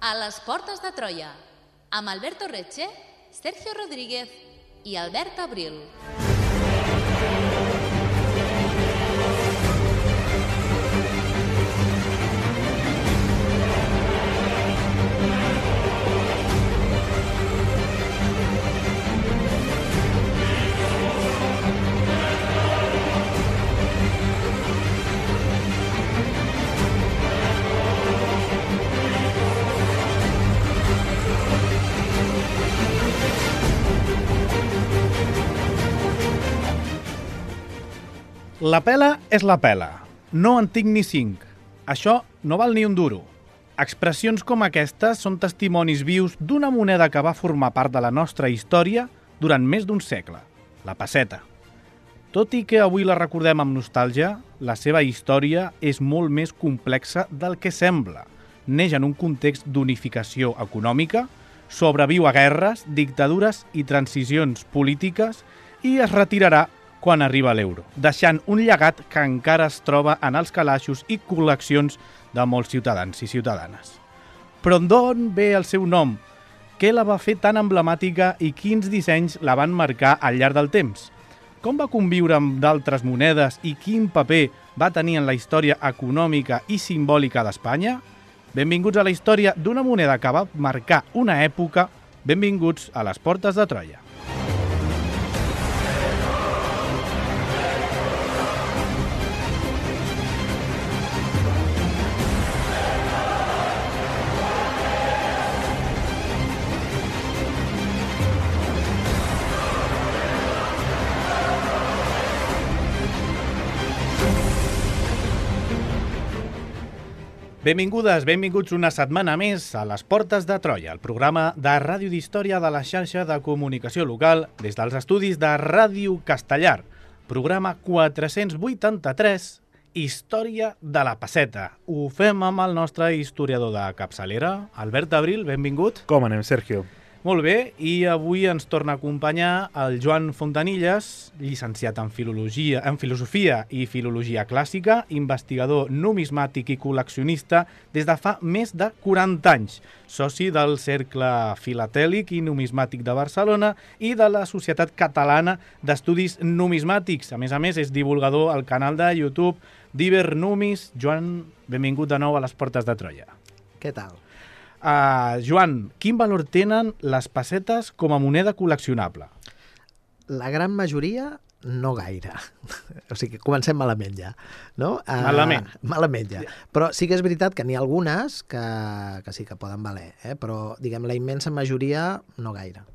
A les portes de Troia, amb Alberto Reche, Sergio Rodríguez i Albert Abril. La pela és la pela. No en tinc ni 5. Això no val ni un duro. Expressions com aquestes són testimonis vius d'una moneda que va formar part de la nostra història durant més d'un segle, la pesseta. Tot i que avui la recordem amb nostàlgia, la seva història és molt més complexa del que sembla. Neix en un context d'unificació econòmica, sobreviu a guerres, dictadures i transicions polítiques i es retirarà quan arriba l'euro, deixant un llegat que encara es troba en els calaixos i col·leccions de molts ciutadans i ciutadanes. Però d'on ve el seu nom? Què la va fer tan emblemàtica i quins dissenys la van marcar al llarg del temps? Com va conviure amb d'altres monedes i quin paper va tenir en la història econòmica i simbòlica d'Espanya? Benvinguts a la història d'una moneda que va marcar una època. Benvinguts a les portes de Troia. Benvingudes, benvinguts una setmana més a les Portes de Troia, el programa de ràdio d'història de la xarxa de comunicació local des dels estudis de Ràdio Castellar. Programa 483, Història de la Pesseta. Ho fem amb el nostre historiador de capçalera, Albert Abril, benvingut. Com anem, Sergio? Molt bé, i avui ens torna a acompanyar el Joan Fontanilles, llicenciat en filosofia i filologia clàssica, investigador numismàtic i col·leccionista des de fa més de 40 anys, soci del Cercle Filatèlic i Numismàtic de Barcelona i de la Societat Catalana d'Estudis Numismàtics. A més, és divulgador al canal de YouTube d'Ibernumis. Joan, benvingut de nou a les Portes de Troia. Què tal? Joan, quin valor tenen les pessetes com a moneda col·leccionable? La gran majoria, no gaire. O sigui, comencem malament ja. No? Malament ja. Però sí que és veritat que n'hi ha algunes que sí que poden valer, però diguem la immensa majoria no gaire.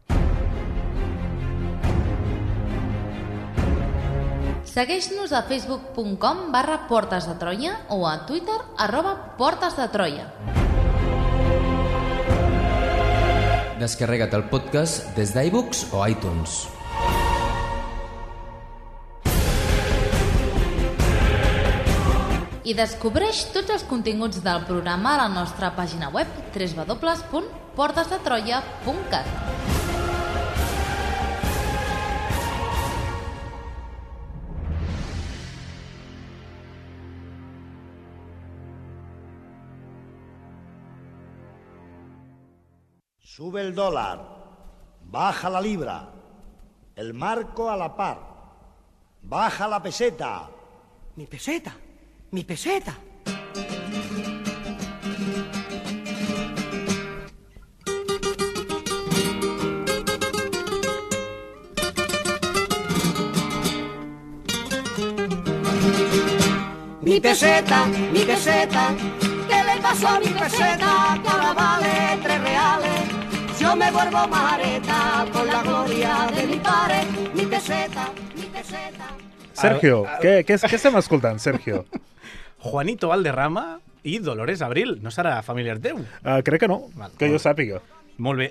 Segueix-nos a facebook.com/Portes de Troia o a Twitter @PortesDeTroia. Descarrega't el podcast des d'iBooks o iTunes. I descobreix tots els continguts del programa a la nostra pàgina web www.portesdetroia.cat. Sube el dólar, baja la libra, el marco a la par, baja la peseta. Mi peseta, mi peseta. Mi peseta, ¿qué le pasó a mi peseta? Que ahora vale 3 reales. Yo me vuelvo mareta con la gloria de mi pare. Mi peseta, mi peseta. Sergio, què estem escoltant, Sergio? Juanito Valderrama i Dolores Abril. No serà familiar teu? Crec que no, que jo sàpiga. Molt bé,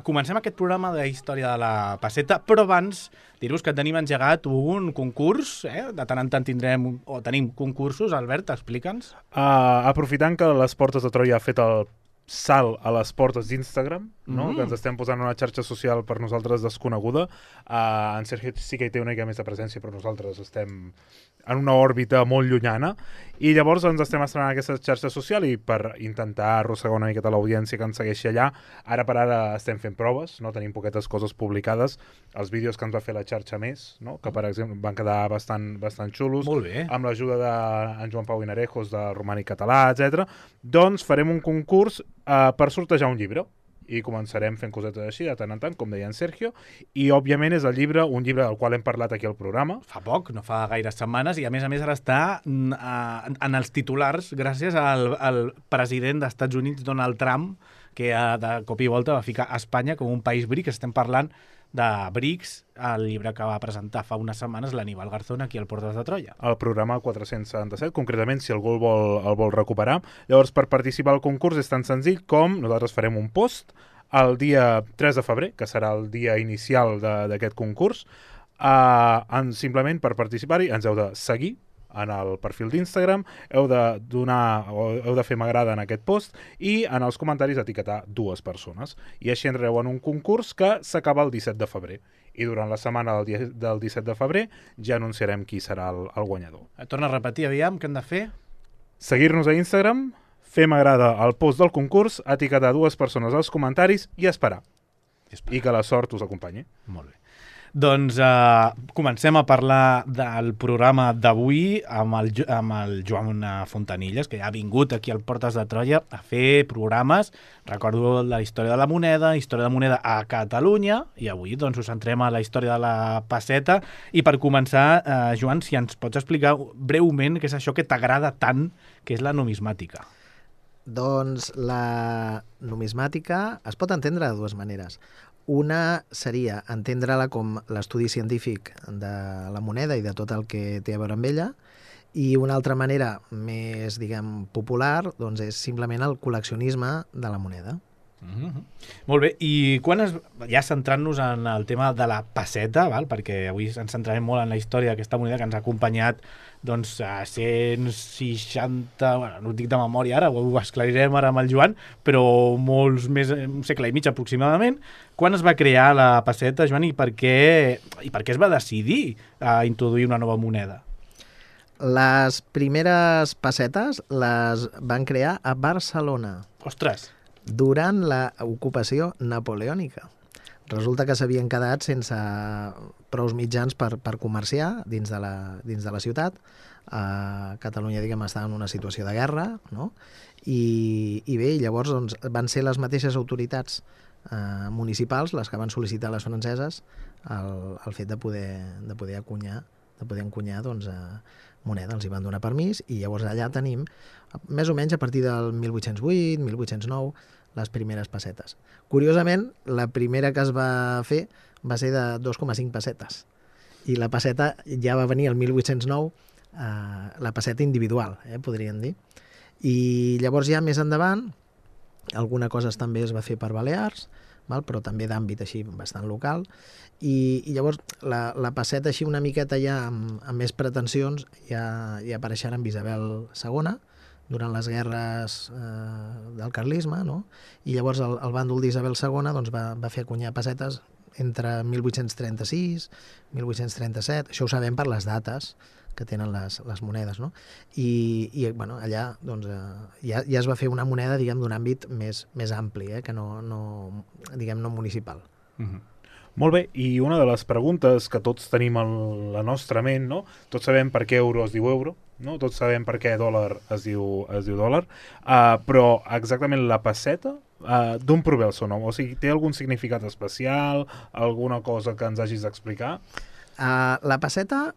comencem aquest programa de història de la pesseta, però abans dir-vos que tenim engegat un concurs, de tant en tant tenim concursos. Albert, explica'ns. Aprofitant que les Portes de Troia ha fet el salt a les portes d'Instagram, no? Que ens estem posant una xarxa social per nosaltres desconeguda. En Sergio sí que hi té una mica més de presència, però nosaltres estem en una òrbita molt llunyana, i llavors ens estem estrenant aquesta xarxa social i per intentar arrossegar una miqueta l'audiència que ens segueixi allà, ara per ara estem fent proves, no? Tenim poquetes coses publicades, els vídeos que ens va fer la xarxa Més, no? Que per exemple van quedar bastant xulos, Molt bé. amb l'ajuda d'en Joan Pau Vinarejos, de Romànic Català, etc. Doncs farem un concurs per sortejar un llibre, i començarem fent cosetes així de tant en tant, com deia en Sergio, i òbviament és un llibre del qual hem parlat aquí al programa. Fa poc, no fa gaires setmanes, i a més ara està en els titulars gràcies al president dels Estats Units, Donald Trump, que de cop i volta va ficar Espanya com un país BRICS. Estem parlant de BRICS, el llibre que va presentar fa unes setmanes l'Aníbal Garzón aquí al Portes de Troia. El programa 477, concretament, si algú el vol recuperar. Llavors, per participar al concurs és tan senzill com nosaltres farem un post el dia 3 de febrer, que serà el dia inicial d'aquest concurs. Simplement, per participar-hi, ens heu de seguir en el perfil d'Instagram, heu de fer m'agrada en aquest post i en els comentaris etiquetar 2 persones. I així entreu en un concurs que s'acaba el 17 de febrer. I durant la setmana del 17 de febrer ja anunciarem qui serà el guanyador. Torna a repetir, aviam, què hem de fer? Seguir-nos a Instagram, fer m'agrada al post del concurs, etiquetar 2 persones als comentaris i esperar. I que la sort us acompanyi. Molt bé. Doncs comencem a parlar del programa d'avui amb el Joan Fontanilles, que ja ha vingut aquí al Portes de Troia a fer programes. Recordo la història de la moneda a Catalunya, i avui doncs us centrem a la història de la pesseta. I per començar, Joan, si ens pots explicar breument què és això que t'agrada tant, que és la numismàtica. Doncs la numismàtica es pot entendre de 2 maneres. Una seria entendre-la com l'estudi científic de la moneda i de tot el que té a veure amb ella, i una altra manera més, popular, doncs és simplement el col·leccionisme de la moneda. Molt bé, i ja centrant-nos en el tema de la pesseta, perquè avui ens centrarem molt en la història d'aquesta moneda que ens ha acompanyat doncs, a 160, no ho dic de memòria ara, ho esclarirem ara amb el Joan, però molts més, un segle i mig aproximadament. Quan es va crear la pesseta, Joan, i per què es va decidir a introduir una nova moneda? Les primeres pessetes les van crear a Barcelona. Ostres! Durant l'ocupació napoleònica. Resulta que s'havien quedat sense prous mitjans per comerciar dins de la ciutat. Catalunya, estava en una situació de guerra, no? I bé, llavors doncs, van ser les mateixes autoritats municipals les que van sol·licitar a les franceses el fet de poder encunyar doncs, moneda. Els hi van donar permís, i llavors allà tenim, més o menys a partir del 1808, 1809, les primeres pessetes. Curiosament, la primera que es va fer va ser de 2,5 pessetes. I la pesseta ja va venir el 1809, la pesseta individual, podríem dir. I llavors ja més endavant, alguna cosa també es va fer per Balears, però també d'àmbit així bastant local, i llavors la pesseta així una miqueta ja amb més pretensions ja apareixerà amb Isabel II, durant les guerres del carlisme, no? I llavors el bàndol d'Isabel II doncs, va fer acunyar pessetes entre 1836 i 1837, això ho sabem per les dates que tenen les monedes, no? I allà doncs, ja es va fer una moneda d'un àmbit més ampli, que no municipal. Molt bé, i una de les preguntes que tots tenim a la nostra ment, no? Tots sabem per què euro es diu euro, no? Tots sabem per què dòlar es diu dòlar, però exactament la pesseta, d'on prové el seu nom? O sigui, té algun significat especial, alguna cosa que ens hagis d'explicar? La pesseta,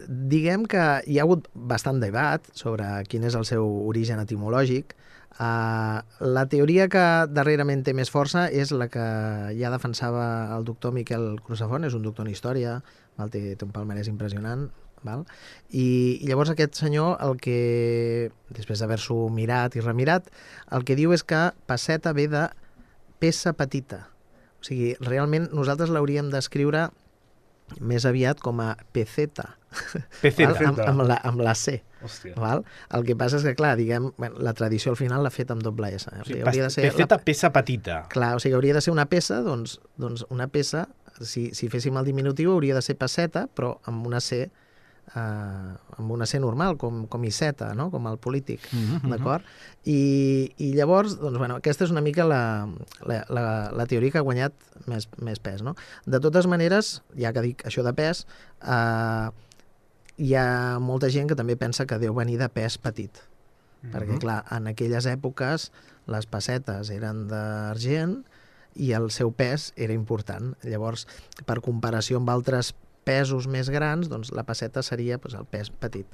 diguem que hi ha hagut bastant debat sobre quin és el seu origen etimològic. La teoria que darrerament té més força és la que ja defensava el doctor Miquel Crusafont, és un doctor en història, té un palmarès impressionant, i llavors aquest senyor, el que després d'haver-s'ho mirat i remirat, el que diu és que pesseta ve de peça petita. O sigui, realment nosaltres l'hauríem d'escriure més aviat com a peceta. Amb la C. Val? El que passa és que, clar, la tradició al final l'ha fet amb doble S. O sigui, peceta, peça petita. Clar, o sigui, hauria de ser una peça, doncs una peça, si féssim el diminutiu, hauria de ser pesseta, però amb una C amb una C normal, com Iceta, no? Com el polític, d'acord? I llavors, doncs, bueno, aquesta és una mica la teoria que ha guanyat més pes, no? De totes maneres, ja que dic això de pes, hi ha molta gent que també pensa que deu venir de pes petit, perquè, clar, en aquelles èpoques les pessetes eren d'argent i el seu pes era important. Llavors, per comparació amb altres pesos més grans, doncs la pesseta seria el pes petit.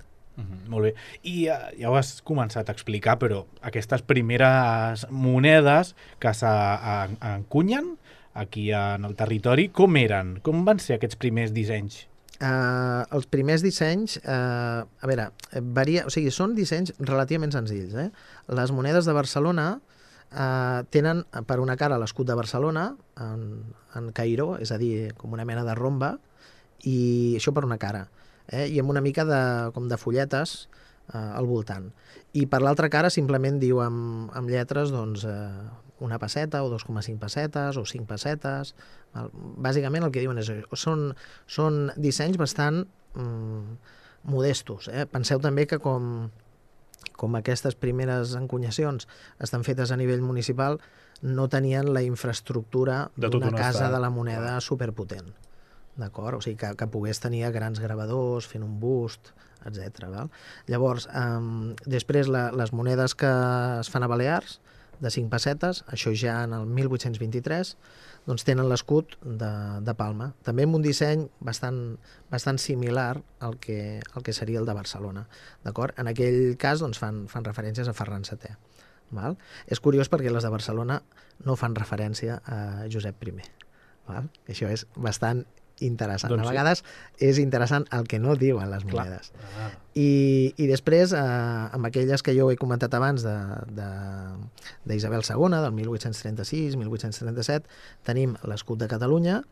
Molt bé. I ja ho has començat a explicar, però aquestes primeres monedes que s'encunyen aquí en el territori, com eren? Com van ser aquests primers dissenys? Els primers dissenys, a veure, varia, o sigui, són dissenys relativament senzills. Les monedes de Barcelona tenen per una cara l'escut de Barcelona en Cairó, és a dir, com una mena de romba, i això per una cara, i amb una mica com de folletes al voltant. I per l'altra cara simplement diu amb lletres doncs, una pesseta o 2,5 pessetes o 5 pessetes. Bàsicament el que diuen és són dissenys bastant modestos. Penseu també que com aquestes primeres encunyacions estan fetes a nivell municipal, no tenien la infraestructura d'una casa de la moneda superpotent. D'acord? O sigui, que pogués tenir grans gravadors, fent un bust, etc. Llavors, després les monedes que es fan a Balears, de 5 pessetes, això ja en el 1823, doncs tenen l'escut de Palma. També amb un disseny bastant similar al que seria el de Barcelona. D'acord? En aquell cas doncs, fan referències a Ferran VII. Val? És curiós perquè les de Barcelona no fan referència a Josep I. Val? Això és bastant interessant. Doncs a vegades és interessant el que no diuen les monedes. I després, amb aquelles que jo he comentat abans d'Isabel II, del 1836, 1837, tenim l'escut de Catalunya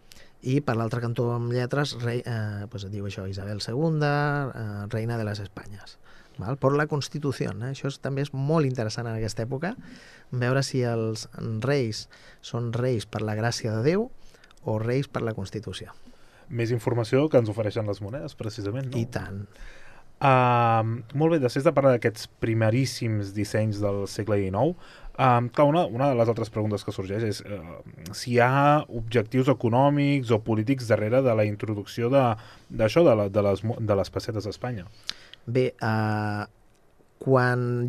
i per l'altre cantó amb lletres diu això, Isabel II, reina de les Espanyes. Val? Per la Constitució. Això també és molt interessant en aquesta època, veure si els reis són reis per la gràcia de Déu o reis per la Constitució. Més informació que ens ofereixen les monedes, precisament, no? I tant. Molt bé, després de parlar d'aquests primeríssims dissenys del segle XIX, clar, una de les altres preguntes que sorgeix és si hi ha objectius econòmics o polítics darrere de la introducció d'això, de les pessetes a Espanya. Bé, quan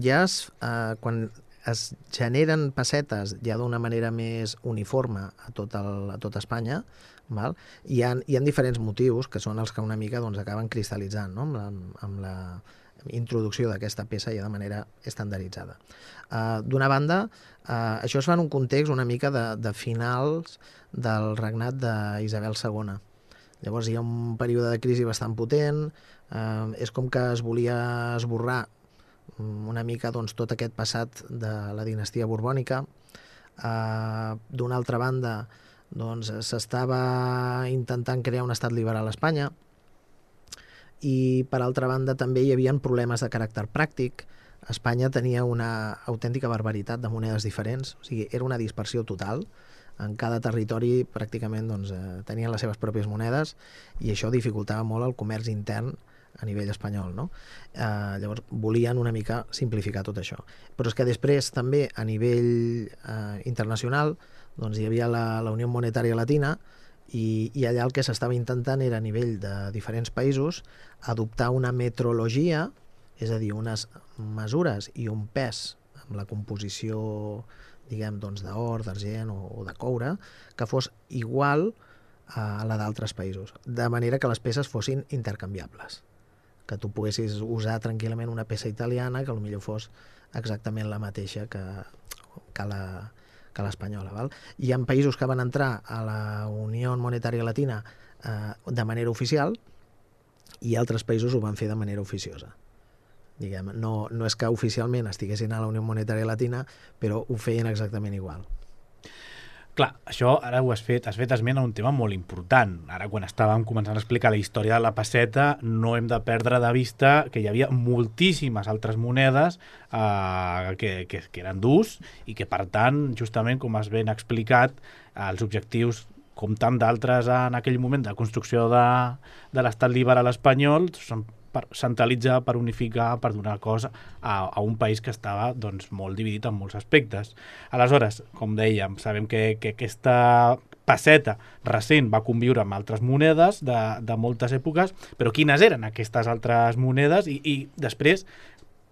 es generen pessetes ja d'una manera més uniforme a tot Espanya, val? Hi ha diferents motius que són els que una mica doncs, acaben cristal·litzant, no? amb la introducció d'aquesta peça ja de manera estandarditzada. D'una banda, això es fa en un context una mica de finals del regnat d'Isabel II. Llavors hi ha un període de crisi bastant potent, és com que es volia esborrar una mica doncs, tot aquest passat de la dinastia borbònica. D'una altra banda, doncs, s'estava intentant crear un estat liberal a Espanya i per altra banda també hi havia problemes de caràcter pràctic. Espanya tenia una autèntica barbaritat de monedes diferents, o sigui, era una dispersió total. En cada territori pràcticament doncs, tenien les seves pròpies monedes i això dificultava molt el comerç intern a nivell espanyol, no? Llavors volien una mica simplificar tot això. Però és que després també a nivell internacional doncs, hi havia la Unió Monetària Latina i allà el que s'estava intentant era a nivell de diferents països adoptar una metrologia, és a dir, unes mesures i un pes amb la composició diguem, doncs, d'or, d'argent o de coure, que fos igual a la d'altres països, de manera que les peces fossin intercanviables, que tu poguessis usar tranquil·lament una peça italiana que potser fos exactament la mateixa que l'espanyola. Val? Hi ha països que van entrar a la Unió Monetària Latina de manera oficial i altres països ho van fer de manera oficiosa. Diguem, no és que oficialment estiguessin a la Unió Monetària Latina, però ho feien exactament igual. Clar, això ara has fet esment a un tema molt important. Ara, quan estàvem començant a explicar la història de la pesseta, no hem de perdre de vista que hi havia moltíssimes altres monedes que eren d'ús i que, per tant, justament, com has ben explicat, els objectius, com tant d'altres en aquell moment de construcció de l'estat liberal espanyol, són per centralitzar, per unificar, per donar cos a un país que estava doncs, molt dividit en molts aspectes. Aleshores, com dèiem, sabem que aquesta pesseta recent va conviure amb altres monedes de moltes èpoques, però quines eren aquestes altres monedes? I després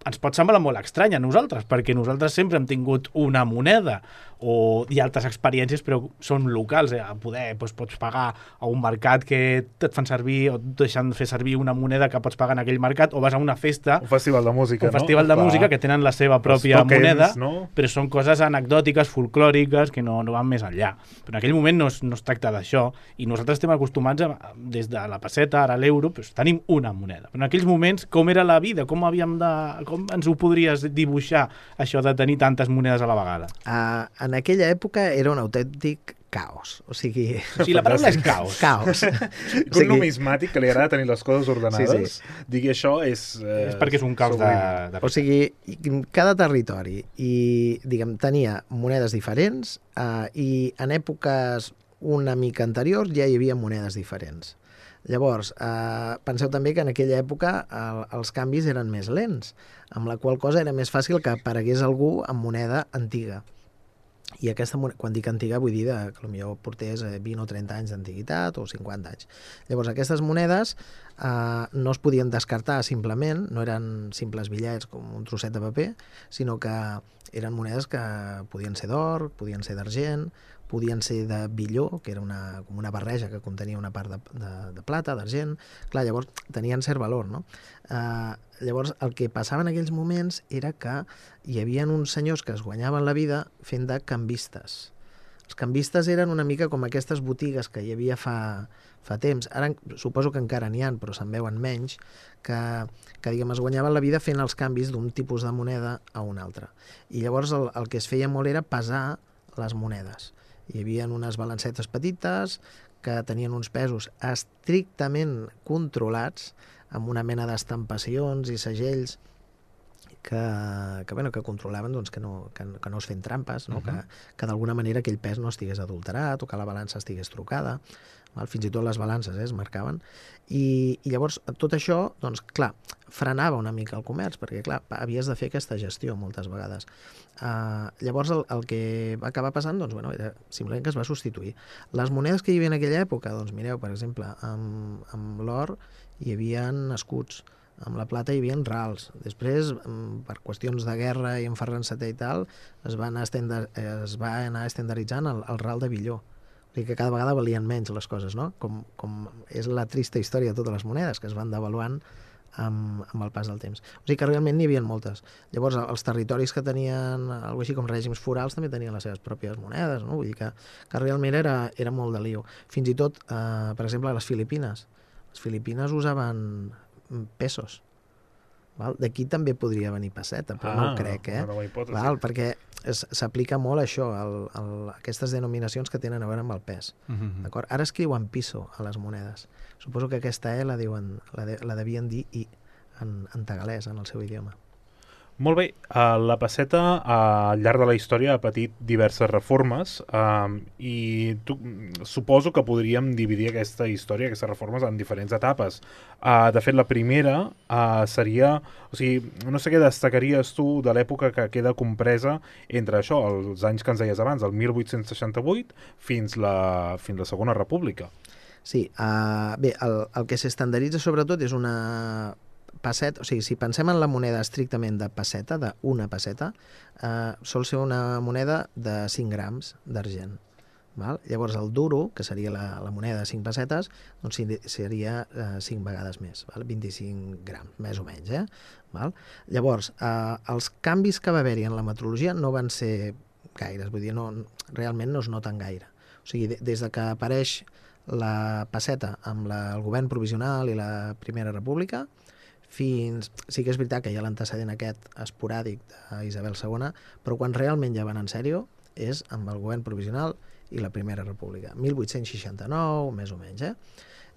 ens pot semblar molt estrany a nosaltres, perquè nosaltres sempre hem tingut una moneda i altres experiències, però són locals. Poder, doncs, pots pagar a un mercat que et fan servir o et deixen fer servir una moneda que pots pagar en aquell mercat, o vas a una festa... Un festival de música, un festival de música que tenen la seva pròpia moneda, no? Però són coses anecdòtiques, folclòriques, que no van més enllà. Però en aquell moment no es tracta d'això, i nosaltres estem acostumats des de la pesseta, ara l'euro, doncs tenim una moneda. Però en aquells moments, com era la vida? Com ens ho podries dibuixar, això de tenir tantes monedes a la vegada? En aquella època era un autèntic caos. O sigui, la paraula és caos. Caos. Un numismàtic que li agrada tenir les coses ordenades, digui això és... És perquè és un caos de... O sigui, cada territori tenia monedes diferents i en èpoques una mica anteriors ja hi havia monedes diferents. Llavors, penseu també que en aquella època els canvis eren més lents, amb la qual cosa era més fàcil que aparegués algú amb moneda antiga. I aquesta moneda, quan dic antiga, vull dir que potser portés 20 o 30 anys d'antiguitat o 50 anys. Llavors, aquestes monedes no es podien descartar simplement, no eren simples bitllets com un trosset de paper, sinó que eren monedes que podien ser d'or, podien ser d'argent, podien ser de billó, que era com una barreja que contenia una part de plata, d'argent. Clar, llavors tenien cert valor, no? Llavors, el que passava en aquells moments era que hi havia uns senyors que es guanyaven la vida fent de canvistes. Els canvistes eren una mica com aquestes botigues que hi havia fa temps. Ara suposo que encara n'hi ha, però se'n veuen menys, que es guanyaven la vida fent els canvis d'un tipus de moneda a un altre. I llavors el que es feia molt era pesar les monedes. Hi havia unes balancetes petites que tenien uns pesos estrictament controlats, amb una mena d'estampacions i segells que controlaven doncs, que no es feien trampes, no? Que d'alguna manera aquell pes no estigués adulterat o que la balança estigués trucada. Fins i tot les balances es marcaven. I llavors tot això, doncs, clar, frenava una mica el comerç, perquè clar, havies de fer aquesta gestió moltes vegades. Llavors el que va acabar passant era simplement que es va substituir. Les monedes que hi havia en aquella època, doncs mireu, per exemple, amb l'or hi havia escuts, amb la plata hi havia rals. Després, per qüestions de guerra i enferrant setè i tal, es va anar estandarditzant el ral de billó. O sigui que cada vegada valien menys les coses, no? Com és la trista història de totes les monedes, que es van devaluant amb el pas del temps. O sigui que realment n'hi havia moltes. Llavors, els territoris que tenien alguna així com règims forals també tenien les seves pròpies monedes, no? Vull dir que realment era molt de lío. Fins i tot, per exemple, a les Filipines. Les Filipines usaven pesos. D'aquí també podria venir pesseta, però no ho crec, perquè s'aplica molt això, aquestes denominacions que tenen a veure amb el pes. D'acord? Ara escriuen piso a les monedes. Suposo que aquesta la devien dir i en tagalès, en el seu idioma. Molt bé, la pesseta al llarg de la història ha patit diverses reformes i suposo que podríem dividir aquesta història, aquestes reformes, en diferents etapes. De fet, la primera seria... O sigui, no sé què destacaries tu de l'època que queda compresa entre això, els anys que ens deies abans, el 1868 fins la Segona República. Sí, bé, el que s'estandarditza sobretot és una... pesseta, o sigui, si pensem en la moneda estrictament de pesseta, d'una pesseta, sol ser una moneda de 5 grams d'argent. Llavors el duro, que seria la moneda de 5 pessetes, doncs seria 5 vegades més, 25 grams, més o menys. Llavors, els canvis que va haver-hi en la metrologia no van ser gaires, vull dir, realment no es noten gaire. O sigui, des que apareix la pesseta amb el govern provisional i la Primera República, sí que és veritat que hi ha l'antecedent aquest esporàdic d'Isabel II, però quan realment ja van en sèrio és amb el govern provisional i la Primera República, 1869, més o menys.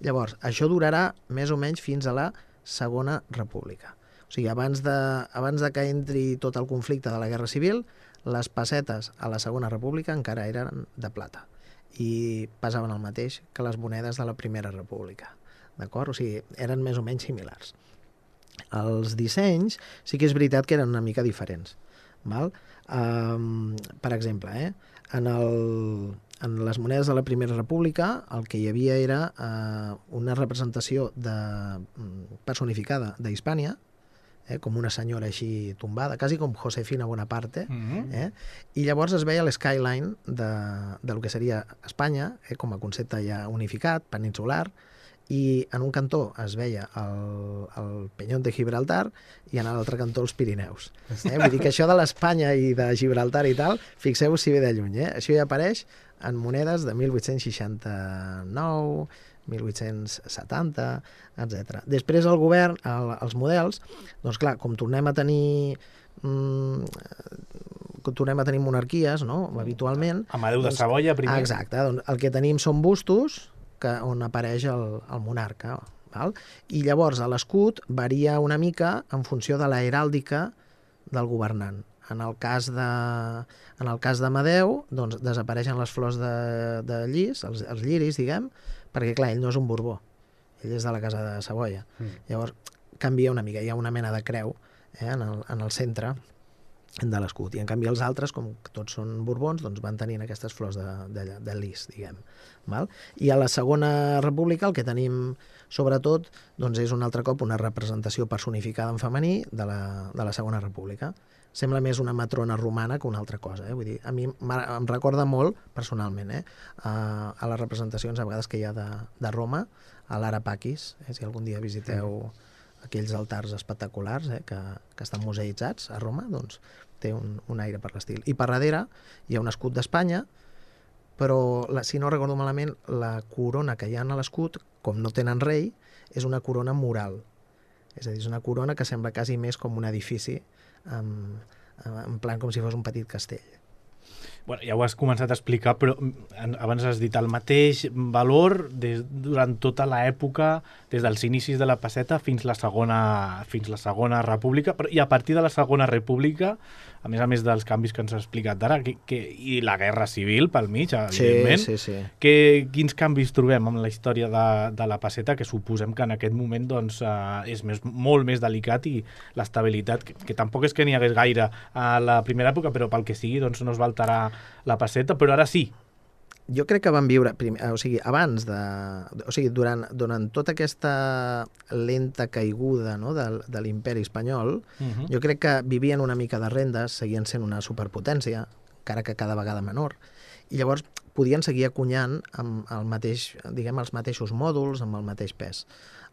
Llavors, això durarà més o menys fins a la Segona República. O sigui, abans de que entri tot el conflicte de la Guerra Civil, les pessetes a la Segona República encara eren de plata i pesaven el mateix que les monedes de la Primera República. D'acord? O sigui, eren més o menys similars. Els dissenys sí que és veritat que eren una mica diferents. Val? Per exemple, en les monedes de la Primera República el que hi havia era una representació personificada d'Hispània, com una senyora així tombada, quasi com Josefina Bonaparte, i llavors es veia l'skyline del que seria Espanya, com a concepte ja unificat, peninsular, i en un cantó es veia el Peñón de Gibraltar i en l'altre cantó els Pirineus. Vull dir que això de l'Espanya i de Gibraltar i tal, fixeu-vos si ve de lluny. Això ja apareix en monedes de 1869, 1870, etc. Després el govern, els models, doncs clar, com tornem a tenir monarquies, no?, habitualment... Amadeu de Savoia, primer. Exacte, doncs el que tenim són bustos on apareix el monarca. Val? I llavors l'escut varia una mica en funció de la heràldica del governant. En el cas d'Amadeu, doncs, desapareixen les flors de llis, els lliris, diguem, perquè, clar, ell no és un Borbó, ell és de la casa de Savoia. Llavors, canvia una mica, hi ha una mena de creu en el centre de l'escut, i en canvi els altres, com que tots són Borbons, doncs van tenint aquestes flors de lis, diguem. Val? I a la Segona República el que tenim, sobretot, doncs és un altre cop una representació personificada en femení de la Segona República. Sembla més una matrona romana que una altra cosa. Vull dir, a mi em recorda molt, personalment, a les representacions a vegades que hi ha de Roma, a l'Ara Pacis, si algun dia visiteu aquells altars espectaculars que estan museïtzats a Roma, doncs té un aire per l'estil. I per darrere hi ha un escut d'Espanya, però, si no recordo malament, la corona que hi ha a l'escut, com no tenen rei, és una corona mural. És a dir, és una corona que sembla quasi més com un edifici, en plan com si fos un petit castell. Bueno, ja ho has començat a explicar, però abans has dit el mateix valor durant tota l'època, des dels inicis de la pesseta fins la Segona República, i a partir de la Segona República, a més dels canvis que ens has explicat ara, i la Guerra Civil pel mig, evidentment, sí. Quins canvis trobem en la història de la pesseta, que suposem que en aquest moment doncs, és molt més delicat, i l'estabilitat, que tampoc és que n'hi hagués gaire a la primera època, però pel que sigui doncs, no es va alterar la pesseta, però ara sí. Jo crec que van viure, durant tota aquesta lenta caiguda, no, de l'imperi espanyol, jo crec que vivien una mica de rendes, seguien sent una superpotència, encara que cada vegada menor, i llavors podien seguir acunyant amb els mateixos mòduls, amb el mateix pes.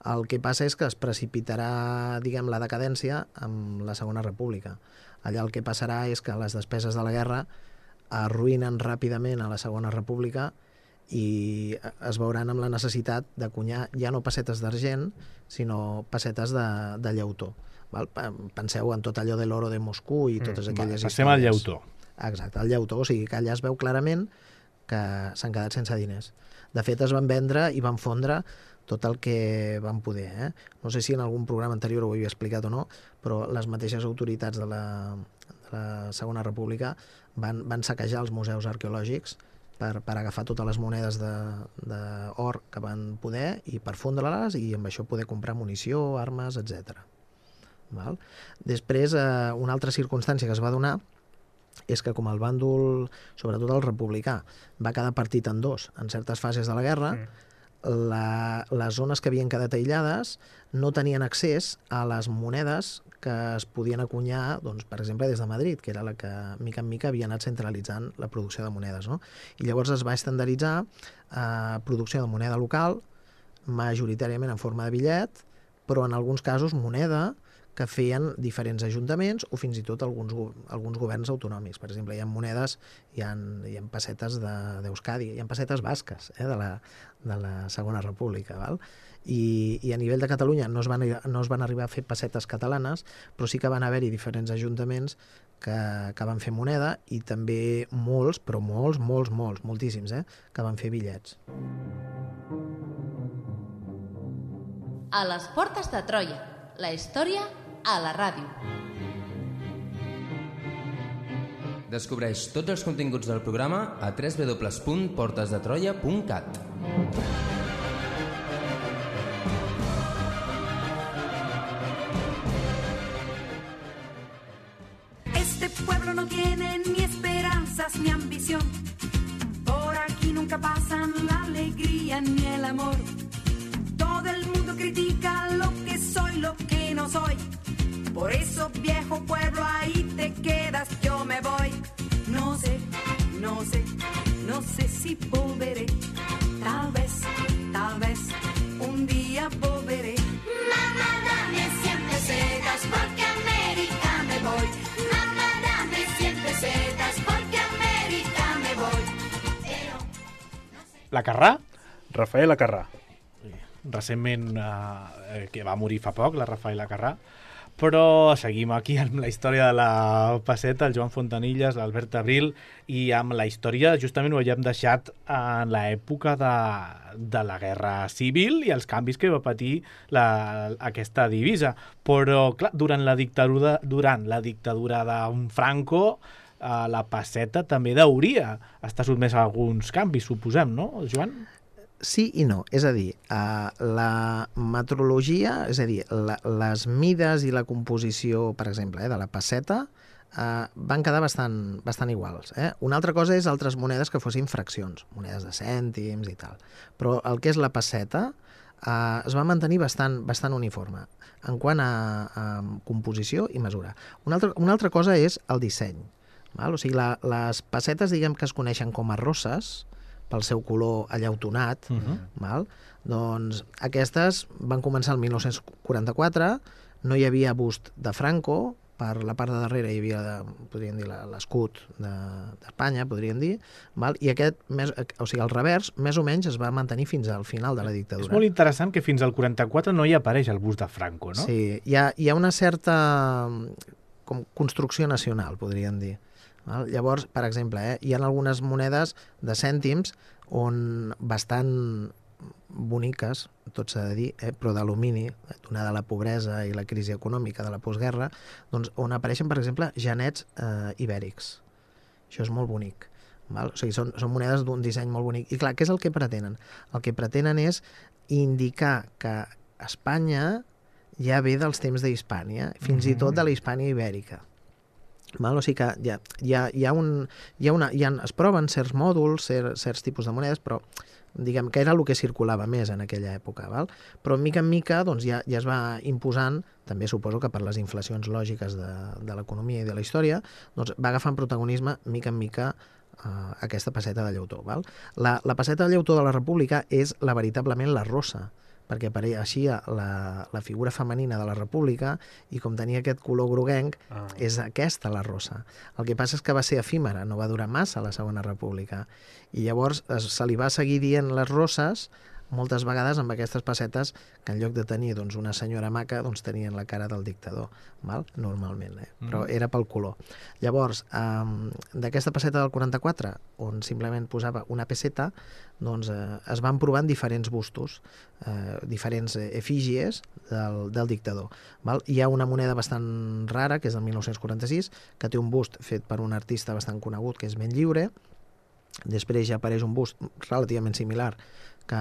El que passa és que es precipitarà, la decadència amb la Segona República. Allà el que passarà és que les despeses de la guerra arruïnen ràpidament a la Segona República i es veuran amb la necessitat d'acunyar ja no pessetes d'argent, sinó pessetes de llautó. Val? Penseu en tot allò de l'oro de Moscou i totes aquelles històries. Passem al llautó. Exacte, al llautó, o sigui que allà es veu clarament que s'han quedat sense diners. De fet, es van vendre i van fondre tot el que van poder. No sé si en algun programa anterior ho havia explicat o no, però les mateixes autoritats de la Segona República van saquejar els museus arqueològics per agafar totes les monedes d'or que van poder i per fondre-les i amb això poder comprar munició, armes, etc. Després, una altra circumstància que es va donar és que com el bàndol, sobretot el republicà, va quedar partit en dos en certes fases de la guerra, les zones que havien quedat aïllades no tenien accés a les monedes que es podien acunyar, doncs, per exemple, des de Madrid, que era la que, mica en mica, havia anat centralitzant la producció de monedes. No? I llavors es va estandarditzar producció de moneda local, majoritàriament en forma de bitllet, però en alguns casos moneda que feien diferents ajuntaments o fins i tot alguns governs autonòmics. Per exemple, hi ha monedes, hi ha pessetes d'Euskadi, hi ha pessetes basques de la Segona República. Val? I a nivell de Catalunya no es van arribar a fer pessetes catalanes, però sí que van haver-hi diferents ajuntaments que van fer moneda i també molts, però moltíssims, que van fer bitllets. A les portes de Troia, la història a la ràdio. Descobreix tots els continguts del programa a www.portesdetroia.cat. pueblos no tienen ni esperanzas ni ambición. Por aquí nunca pasan la alegría ni el amor. Todo el mundo critica lo que soy, lo que no soy. Por eso, viejo pueblo, ahí te quedas, yo me voy. No sé, no sé, no sé si volveré. Tal vez, un día volveré. Mamá, dame 100 pesetas porque a América me voy. Mamá, dame 100 pesetas porque a América me voy. Pero, no sé. La Carrà? Rafaela Carrà. Recentment, que va morir fa poc, la Rafaela Carrà. Però seguim aquí amb la història de la Pesseta, el Joan Fontanilles, l'Albert Abril, i amb la història, justament ho havíem deixat en l'època de la Guerra Civil i els canvis que va patir aquesta divisa. Però, clar, durant la dictadura d'un Franco, la Pesseta també hauria estar sotmesa a alguns canvis, suposem, no, Joan? Sí i no, és a dir, la metrologia, és a dir, les mides i la composició, per exemple, de la pesseta, van quedar bastant iguals. Una altra cosa és altres monedes que fossin fraccions, monedes de cèntims i tal. Però el que és la pesseta es va mantenir bastant uniforme en quant a composició i mesura. Una altra cosa és el disseny. Val? O sigui, les pessetes, diguem que es coneixen com a rosses, pel seu color allautonat, val? Doncs aquestes van començar el 1944, no hi havia bust de Franco, per la part de darrere hi havia, podríem dir, l'escut d'Espanya, podríem dir, val? I aquest, o sigui, el revers, més o menys es va mantenir fins al final de la dictadura. És molt interessant que fins al 44 no hi apareix el bust de Franco, no? Sí, hi ha una certa construcció nacional, podríem dir. Llavors, per exemple, hi ha algunes monedes de cèntims on bastant boniques, tot s'ha de dir, però d'alumini, donada la pobresa i la crisi econòmica de la postguerra, doncs on apareixen, per exemple, genets ibèrics. Això és molt bonic. Val? O sigui, són monedes d'un disseny molt bonic. I clar, què és el que pretenen? El que pretenen és indicar que Espanya ja ve dels temps d'Hispània, fins i tot de la Hispània ibèrica. Val? O sigui que es proven certs mòduls, certs tipus de monedes, però diguem que era el que circulava més en aquella època. Val? Però mica en mica doncs, ja es va imposant, també suposo que per les inflacions lògiques de l'economia i de la història, doncs va agafant protagonisme mica en mica aquesta pesseta de llautó. Val? La pesseta de llautó de la República és veritablement la rossa, perquè apareixia la figura femenina de la República i com tenia aquest color groguenc, és aquesta la rossa. El que passa és que va ser efímera, no va durar massa la Segona República. I llavors se li va seguir dient les rosses moltes vegades amb aquestes pessetes que en lloc de tenir una senyora maca tenien la cara del dictador, val? Normalment, però era pel color. Llavors, d'aquesta pesseta del 44, on simplement posava una pesseta, doncs es van provant diferents bustos, diferents efígies del dictador. Val? Hi ha una moneda bastant rara, que és del 1946, que té un bust fet per un artista bastant conegut, que és Benlliure. Després ja apareix un bust relativament similar, que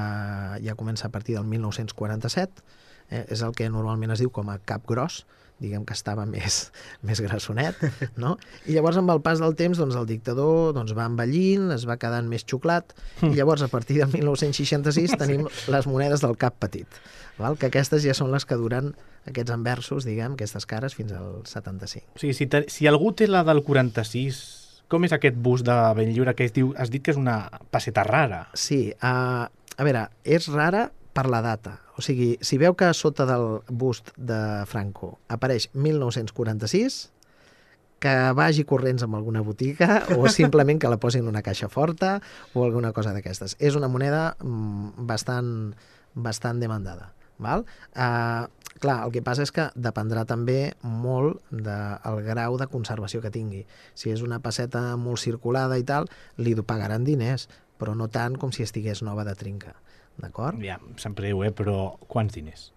ja comença a partir del 1947, és el que normalment es diu com a cap gros, diguem que estava més grassonet, no? I llavors amb el pas del temps el dictador va envellint, es va quedant més xuclat, i llavors a partir del 1966 tenim les monedes del cap petit, val? Que aquestes ja són les que duren aquests anversos, diguem, aquestes cares, fins al 75. O sigui, si algú té la del 46, com és aquest bust de Benlliure que has dit que és una pesseta rara? Sí, a veure, és rara per la data. O sigui, si veu que sota del bust de Franco apareix 1946, que vagi corrents amb alguna botiga o simplement que la posin en una caixa forta o alguna cosa d'aquestes. És una moneda bastant demandada. Val? Clar, el que passa és que dependrà també molt del grau de conservació que tingui. Si és una pesseta molt circulada i tal, li pagaran diners, però no tant com si estigués nova de trinca. D'acord? Ja, em sap greu, però quants diners?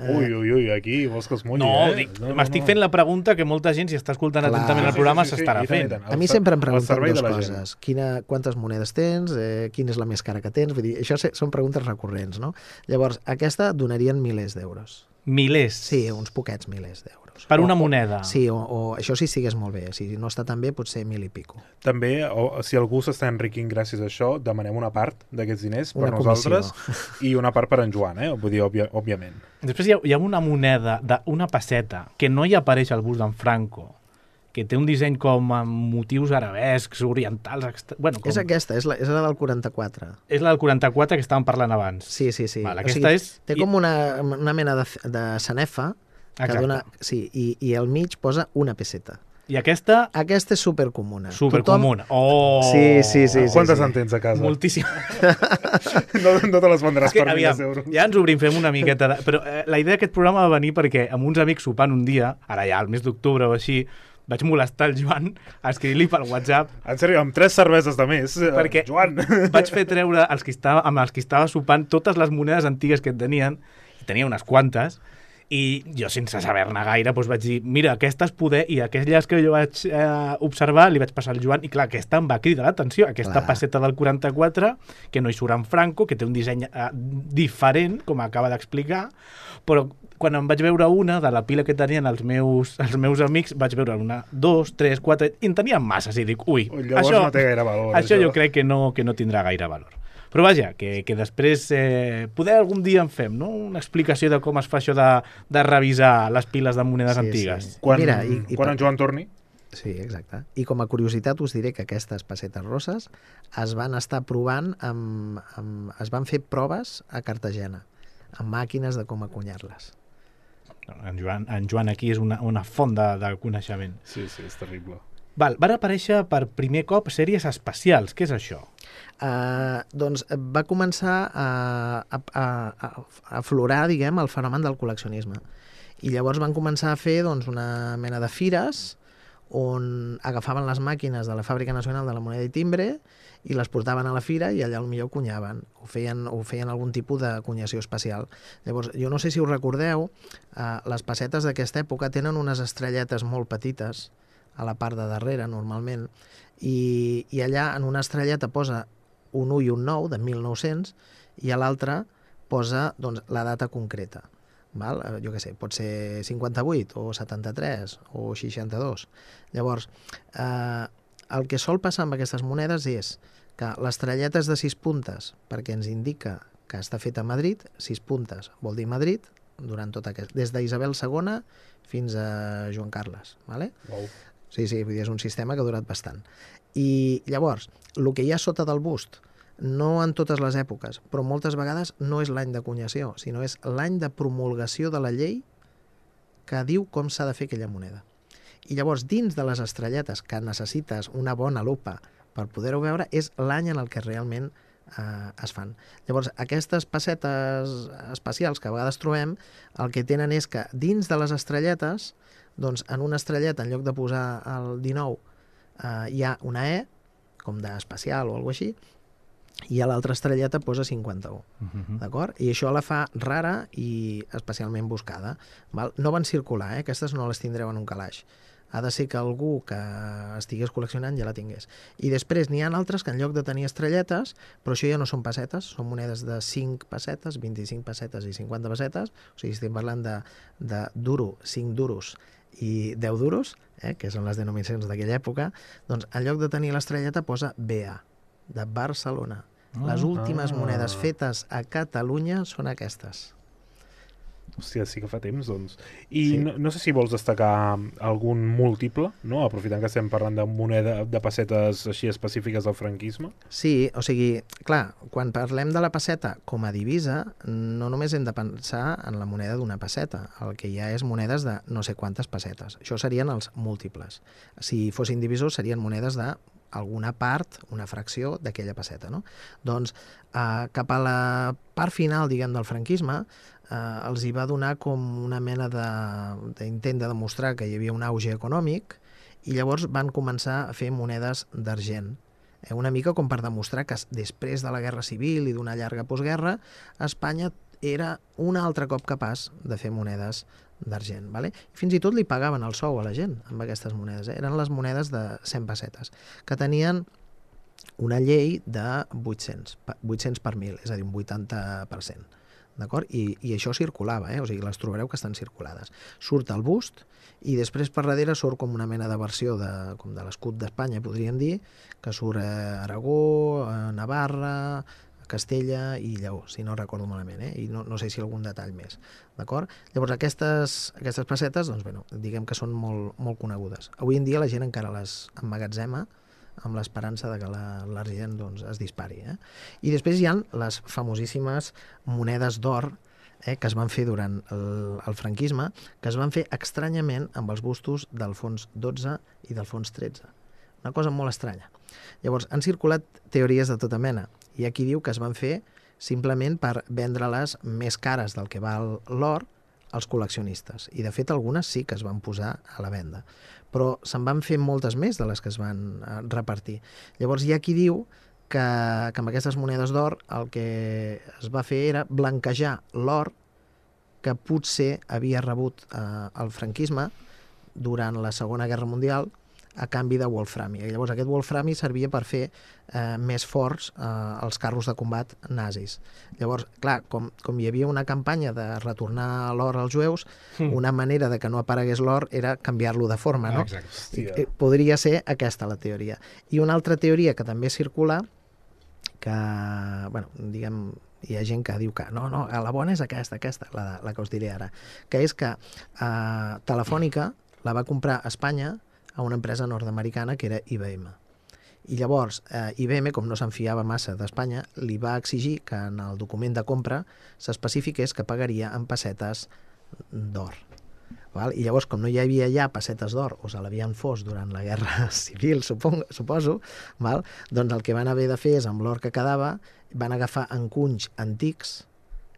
Ui, aquí vols que es mulli, m'estic fent la pregunta que molta gent, si està escoltant atentament el programa, s'estarà fent. A mi sempre em pregunten dues coses. Quantes monedes tens? Quina és la més cara que tens? Vull dir, això són preguntes recurrents, no? Llavors, aquesta donarien milers d'euros. Milers? Sí, uns poquets milers d'euros. Per una moneda? Sí, o això sí estigués molt bé. Si no està tan bé, potser 1.000 i pico. També, si algú s'està enriquint gràcies a això, demanem una part d'aquests diners per nosaltres i una part per en Joan, vull dir, òbviament. Després hi ha una moneda d'una pesseta que no hi apareix al bust d'en Franco, que té un disseny com amb motius arabescs, orientals... Bueno, És aquesta, és la del 44. És la del 44 que estàvem parlant abans. Sí. Val, aquesta té com una mena de sanefa, que dona, sí, i al mig posa una pesseta. I aquesta? Aquesta és supercomuna. Supercomuna. Sí. Quantes en tens a casa? Moltíssimes. No te les vendràs per 1.000 euros. Ja ens obrim, fem una miqueta... Però la idea d'aquest programa va venir perquè amb uns amics sopant un dia, ara ja al mes d'octubre o així, vaig molestar el Joan a escriure-li pel WhatsApp. En sèrio, amb 3 cerveses de més, perquè Joan. Vaig fer treure amb els que estava sopant totes les monedes antigues que et tenien, i tenia unes quantes, i jo sense saber-ne gaire doncs vaig dir, mira, aquestes poder, i aquelles que jo vaig observar li vaig passar al Joan, i clar, aquesta em va cridar l'atenció, aquesta pesseta del 44 que no hi surt en Franco, que té un disseny diferent, com acaba d'explicar, però quan em vaig veure una de la pila que tenien els meus amics, vaig veure una, 2, 3, 4, i en tenien masses, i dic, ui, això no té gaire valor. Això jo crec que no tindrà gaire valor. Però vaja, que després poder algun dia en fem, no? Una explicació de com es fa això de revisar les piles de monedes antigues. Sí. Quan en Joan torni? Sí, exacte. I com a curiositat us diré que aquestes pessetes rosses es van estar provant, es van fer proves a Cartagena, amb màquines de com acunyar-les. En Joan aquí és una font de coneixement. Sí, és terrible. Van aparèixer per primer cop sèries espacials. Què és això? Doncs va començar a aflorar, diguem, el fenomen del col·leccionisme. I llavors van començar a fer una mena de fires on agafaven les màquines de la Fàbrica Nacional de la Moneda i Timbre i les portaven a la fira i allà potser cunyaven, o feien algun tipus de cunyació espacial. Llavors, jo no sé si us recordeu, les pessetes d'aquesta època tenen unes estrelletes molt petites a la part de darrere, normalment, i allà en una estrelleta posa un 1 i un 9 de 1900 i a l'altra posa la data concreta. Val? Jo què sé, pot ser 58 o 73 o 62. Llavors, el que sol passar amb aquestes monedes és que l'estrelleta és de 6 puntes perquè ens indica que està feta a Madrid, 6 puntes vol dir Madrid, durant tot aquest, des d'Isabel II fins a Joan Carles. Vale? Wow. Sí, vull dir, és un sistema que ha durat bastant. I llavors, el que hi ha sota del bust, no en totes les èpoques, però moltes vegades no és l'any d'acunyació, sinó és l'any de promulgació de la llei que diu com s'ha de fer aquella moneda. I llavors, dins de les estrelletes, que necessites una bona lupa per poder-ho veure, és l'any en el que realment es fan. Llavors, aquestes pessetes espacials que a vegades trobem, el que tenen és que dins de les estrelletes, doncs en una estrelleta, en lloc de posar el 19, hi ha una E, com d'espacial o alguna cosa així, i a l'altra estrelleta posa 51. D'acord? I això la fa rara i especialment buscada. Val? No van circular, aquestes no les tindreu en un calaix. Ha de ser que algú que estigués col·leccionant ja la tingués. I després n'hi ha altres que en lloc de tenir estrelletes, però això ja no són pessetes, són monedes de 5 pessetes, 25 pessetes i 50 pessetes, o sigui, estem parlant de duro, 5 duros i 10 duros, que són les denominacions d'aquella època, doncs en lloc de tenir l'estrelleta posa BA, de Barcelona. Les últimes monedes fetes a Catalunya són aquestes. Hòstia, sí que fa temps, doncs. I sí. No sé si vols destacar algun múltiple, no? Aprofitant que estem parlant de moneda, de pessetes així específiques del franquisme. Sí, o sigui, clar, quan parlem de la pesseta com a divisa, no només hem de pensar en la moneda d'una pesseta. El que hi ha és monedes de no sé quantes pessetes. Això serien els múltiples. Si fossin divisors, serien monedes de alguna part, una fracció d'aquella pesseta, no? Doncs cap a la part final, diguem, del franquisme, els hi va donar com una mena d'intent de demostrar que hi havia un auge econòmic i llavors van començar a fer monedes d'argent. Una mica com per demostrar que després de la Guerra Civil i d'una llarga postguerra, Espanya era un altre cop capaç de fer monedes d'argent. Vale? Fins i tot li pagaven el sou a la gent amb aquestes monedes. Eren les monedes de 100 pessetes, que tenien una llei de 800 per 1.000, és a dir, un 80%. d'acord? I això circulava, o sigui, les trobareu que estan circulades. Surt el bust i després per darrere surt com una mena de versió com de l'escut d'Espanya, podríem dir, que surt Aragó, Navarra, Castella i Lleó, si no recordo malament, i no sé si algun detall més, d'acord? Llavors aquestes pessetes, doncs, bueno, diguem que són molt, molt conegudes. Avui en dia la gent encara les emmagatzema amb l'esperança de que l'argent doncs, es dispari. I després hi ha les famosíssimes monedes d'or que es van fer durant el franquisme, que es van fer estranyament amb els bustos d'Alfons XII i d'Alfons XIII. Una cosa molt estranya. Llavors, han circulat teories de tota mena. Hi ha qui diu que es van fer simplement per vendre-les més cares del que val l'or als col·leccionistes. I, de fet, algunes sí que es van posar a la venda. Però se'n van fer moltes més de les que es van repartir. Llavors, hi ha qui diu que amb aquestes monedes d'or el que es va fer era blanquejar l'or que potser havia rebut el franquisme durant la Segona Guerra Mundial a canvi de wolframi. Llavors aquest wolframi servia per fer més forts els carros de combat nazis. Llavors, clar, com hi havia una campanya de retornar l'or als jueus, una manera de que no aparegués l'or era canviar-lo de forma, no? Exacte. Podria ser aquesta la teoria. I una altra teoria que també circula, que, bueno, diguem, hi ha gent que diu que no, la bona és aquesta, la que us diré ara, que és que Telefònica la va comprar a Espanya a una empresa nord-americana que era IBM. I llavors, IBM, com no s'enfiava massa d'Espanya, li va exigir que en el document de compra s'especifiqués que pagaria en pessetes d'or. I llavors, com no hi havia ja pessetes d'or, o se l'havien fos durant la Guerra Civil, suposo, doncs el que van haver de fer és, amb l'or que quedava, van agafar encunys antics,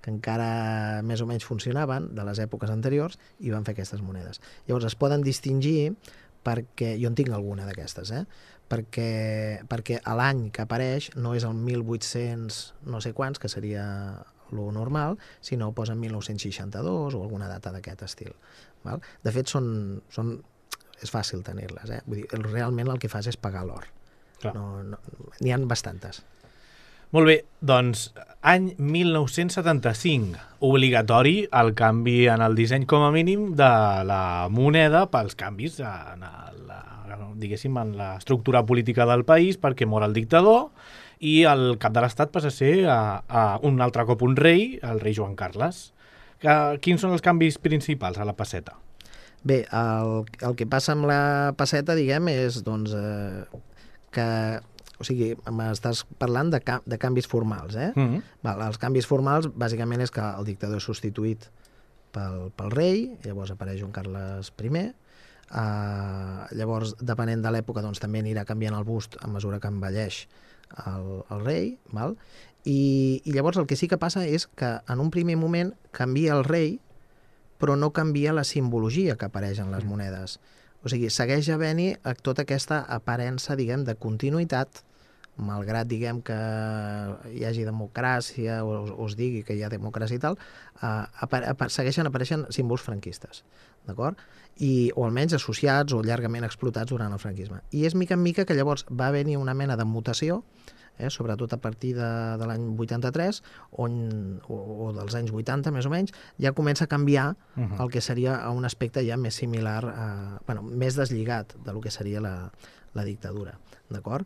que encara més o menys funcionaven, de les èpoques anteriors, i van fer aquestes monedes. Llavors, es poden distingir perquè, jo en tinc alguna d'aquestes, perquè l'any que apareix no és el 1800 no sé quants, que seria lo normal, sinó posen 1962 o alguna data d'aquest estil. De fet, és fàcil tenir-les. Vull dir, realment el que fas és pagar l'or. N'hi ha bastantes. Molt bé, doncs, any 1975, obligatori el canvi en el disseny com a mínim de la moneda pels canvis en l'estructura política del país, perquè mor el dictador i el cap de l'Estat passa a ser un altre cop un rei, el rei Joan Carles. Quins són els canvis principals a la pesseta? Bé, el que passa amb la pesseta, diguem, és doncs, que... O sigui, m'estàs parlant de canvis formals, Els canvis formals, bàsicament, és que el dictador és substituït pel rei, llavors apareix Joan Carles I, llavors, depenent de l'època, doncs també anirà canviant el bust a mesura que envelleix el rei, i llavors el que sí que passa és que en un primer moment canvia el rei, però no canvia la simbologia que apareix en les monedes. O sigui, segueix havent-hi tota aquesta aparença, diguem, de continuïtat, malgrat, diguem, que hi hagi democràcia o es digui que hi ha democràcia i tal, segueixen apareixent símbols franquistes, d'acord? O almenys associats o llargament explotats durant el franquisme. I és mica en mica que llavors va haver-hi una mena de mutació, sobretot a partir de l'any 83 o dels anys 80 més o menys, ja comença a canviar el que seria un aspecte ja més similar, més deslligat del que seria la dictadura, d'acord?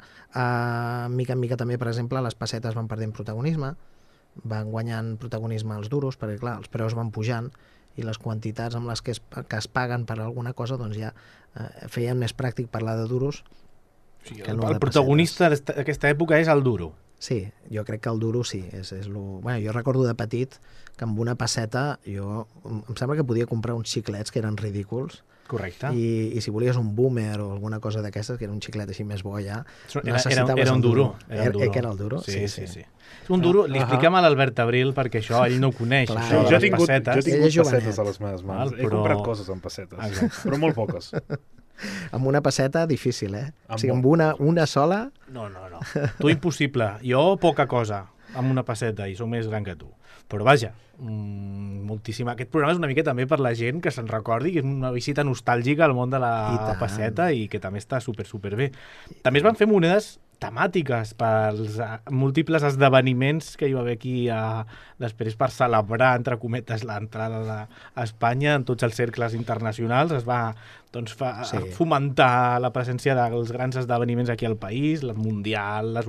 Mica en mica també, per exemple, les pessetes van perdent protagonisme, van guanyant protagonisme els duros, perquè clar, els preus van pujant i les quantitats amb les que es paguen per alguna cosa doncs ja feien més pràctic parlar de duros. Sí, el protagonista d'aquesta època és el duro. Sí, jo crec que el duro sí. Jo recordo de petit que amb una pesseta em sembla que podia comprar uns xiclets que eren ridículs. Correcte. I si volies un boomer o alguna cosa d'aquestes, que era un xiclet així més bo ja, era un duro. Que era el duro? Sí. Un duro, li expliquem a l'Albert Abril, perquè això ell no ho coneix. Jo he tingut pessetes a les meves mans. He comprat coses amb pessetes, però molt poques. Amb una pesseta, difícil, O sigui, amb una sola... No. Tu impossible. Jo poca cosa amb una pesseta i soc més gran que tu. Però vaja, moltíssima. Aquest programa és una mica també per la gent que se'n recordi, que és una visita nostàlgica al món de la pesseta i que també està super bé. També es van fer monedes temàtiques, pels múltiples esdeveniments que hi va haver aquí després per celebrar, entre cometes, l'entrada a Espanya en tots els cercles internacionals. Es va fomentar la presència dels grans esdeveniments aquí al país, el Mundial, els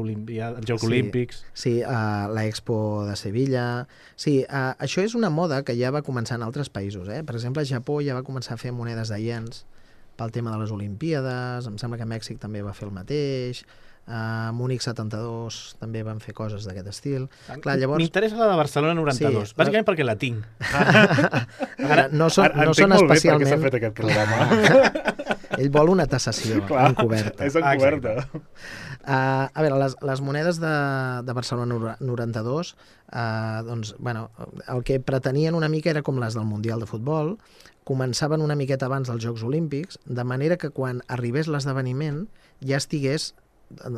Jocs Olímpics... Sí, l'Expo de Sevilla... Sí, això és una moda que ja va començar en altres països. Per exemple, Japó ja va començar a fer monedes de iens pel tema de les Olimpíades, em sembla que Mèxic també va fer el mateix... A Múnich 72 també van fer coses d'aquest estil. Clar, llavors... M'interessa la de Barcelona 92, bàsicament perquè la tinc. No són especialment... Per què s'ha fet aquest programa. Ell vol una tassació encoberta. És encoberta. A veure, les monedes de Barcelona 92, doncs, bueno, el que pretenien una mica era com les del Mundial de Futbol, començaven una miqueta abans dels Jocs Olímpics, de manera que quan arribés l'esdeveniment ja estigués,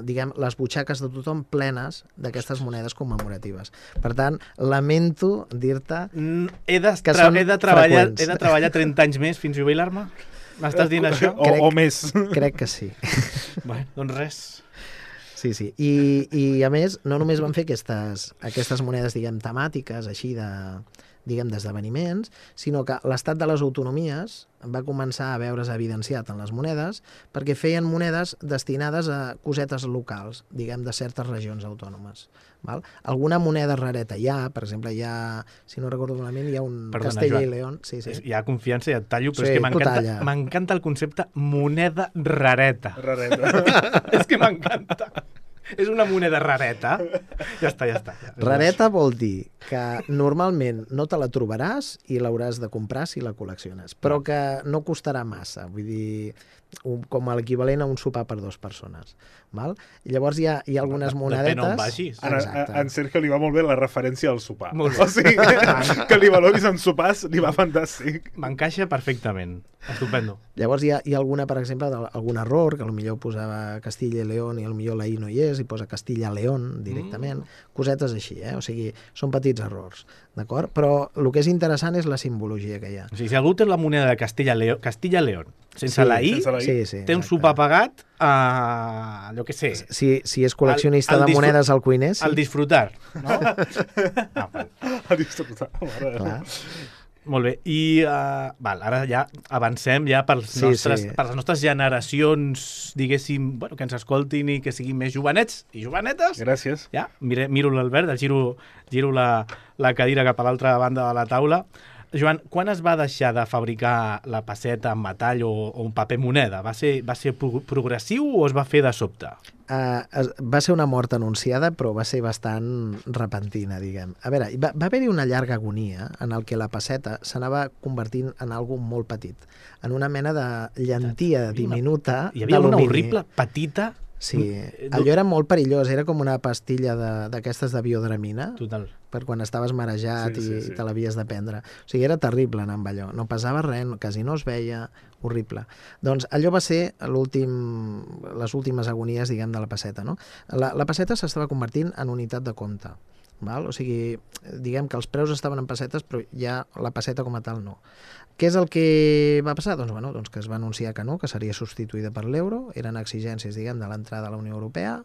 diguem, les butxaques de tothom plenes d'aquestes monedes commemoratives. Per tant, lamento dir-te que són freqüents. He de treballar 30 anys més fins jubilar-me? M'estàs dient això? O més. Crec que sí. Bé, doncs res. Sí. I a més, no només van fer aquestes monedes, diguem, temàtiques, així d'esdeveniments, sinó que l'estat de les autonomies va començar a veure's evidenciat en les monedes perquè feien monedes destinades a cosetes locals, diguem, de certes regions autònomes. Val? Alguna moneda rareta hi ha, per exemple, si no recordo malament, hi ha un Castella i León. Sí. Hi ha confiança i et tallo, però és que m'encanta el concepte moneda rareta. És que m'encanta. És una moneda rareta. Ja està. Rareta vol dir que normalment no te la trobaràs i l'hauràs de comprar si la col·lecciones, però que no costarà massa, vull dir, com l'equivalent a un sopar per 2 persones. Val? I llavors hi ha algunes monedetes... Depèn on vagis. En Sergio li va molt bé la referència al sopar. O sigui, que li valoris en sopars li va fantàstic. M'encaixa perfectament. Estupendo. Llavors hi ha alguna, per exemple, algun error, que potser posava Castilla i León i potser la I no hi és, i posa Castilla-León directament. Cosetes així, O sigui, són petits errors, d'acord? Però el que és interessant és la simbologia que hi ha. O sigui, si algú té la moneda de Castilla-León, sense la I, té un sopar pagat a... allò que sé. Si és col·leccionista de monedes al cuiner, sí. Al disfrutar, no? Al disfrutar, clar. Molt bé, i ara ja avancem per les nostres generacions, diguéssim, que ens escoltin i que siguin més jovenets i jovenetes. Gràcies. Ja, miro l'Albert, giro la cadira cap a l'altra banda de la taula. Joan, quan es va deixar de fabricar la pesseta en metall o un paper moneda? Va ser progressiu o es va fer de sobte? Va ser una mort anunciada, però va ser bastant repentina, diguem. A veure, va haver-hi una llarga agonia en el que la pesseta s'anava convertint en algo molt petit, en una mena de llentia diminuta d'alumini. Hi havia una horrible petita... Sí, allò era molt perillós, era com una pastilla d'aquestes de biodramina. Total. Per quan estaves marejat i te l'havies de prendre. O sigui, era terrible anar amb allò. No pesava res, quasi no es veia, horrible. Doncs allò va ser les últimes agonies, diguem, de la pesseta, no? La pesseta s'estava convertint en unitat de compte. Val? O sigui, diguem que els preus estaven en pessetes, però ja la pesseta com a tal no. Què és el que va passar? Doncs que es va anunciar que no, que seria substituïda per l'euro, eren exigències, diguem, de l'entrada a la Unió Europea,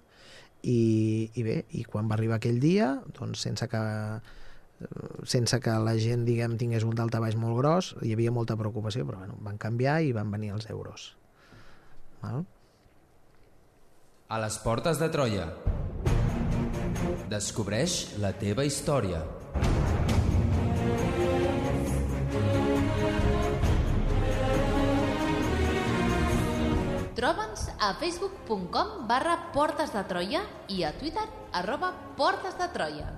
i quan va arribar aquell dia, doncs sense que la gent, diguem, tingués un daltabaix molt gros, hi havia molta preocupació, però van canviar i van venir els euros. Val? A les portes de Troia. Descobreix la teva història. Troba'ns a facebook.com/Portes de Troia i a Twitter @Portes de Troia.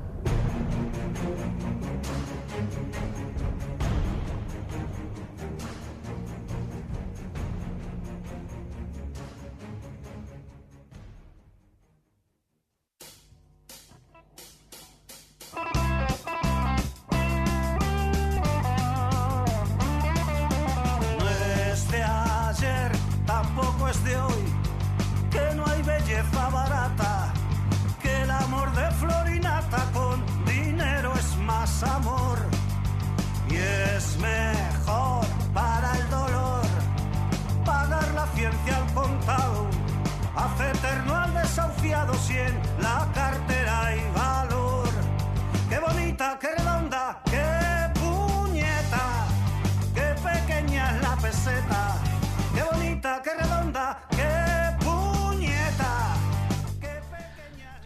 Tampoco es de hoy, que no hay belleza barata, que el amor de Florinata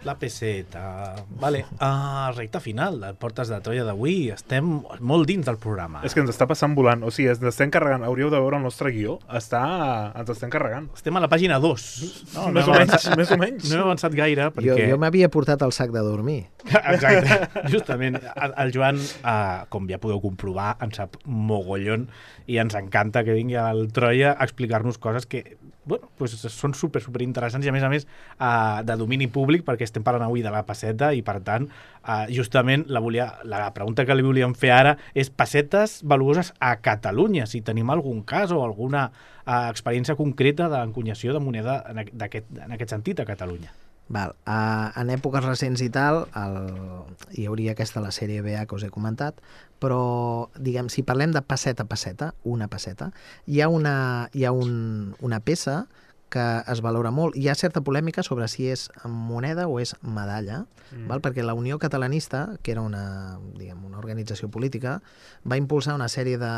La peseta... Vale, recta final, Portes de Troia d'avui. Estem molt dins del programa. És que ens està passant volant. O sigui, ens estem carregant. Hauríeu de veure el nostre guió. Ens estem carregant. Estem a la pàgina 2. No, més o menys. No hem avançat gaire perquè... Jo m'havia portat el sac de dormir. Exacte. Justament. El Joan, com ja podeu comprovar, en sap mogollon i ens encanta que vingui al Troia a explicar-nos coses que són super interessants i a més de domini públic, perquè estem parlant avui de la pesseta i per tant justament la pregunta que li volíem fer ara és pessetes valuoses a Catalunya, si tenim algun cas o alguna experiència concreta d'encunyació de moneda en aquest sentit a Catalunya. Val. En èpoques recents i tal hi hauria aquesta la sèrie BA que us he comentat, però diguem, si parlem de pesseta a pesseta, una pesseta, hi ha una peça que es valora molt. Hi ha certa polèmica sobre si és moneda o és medalla, val? Perquè la Unió Catalanista, que era una organització política, va impulsar una sèrie de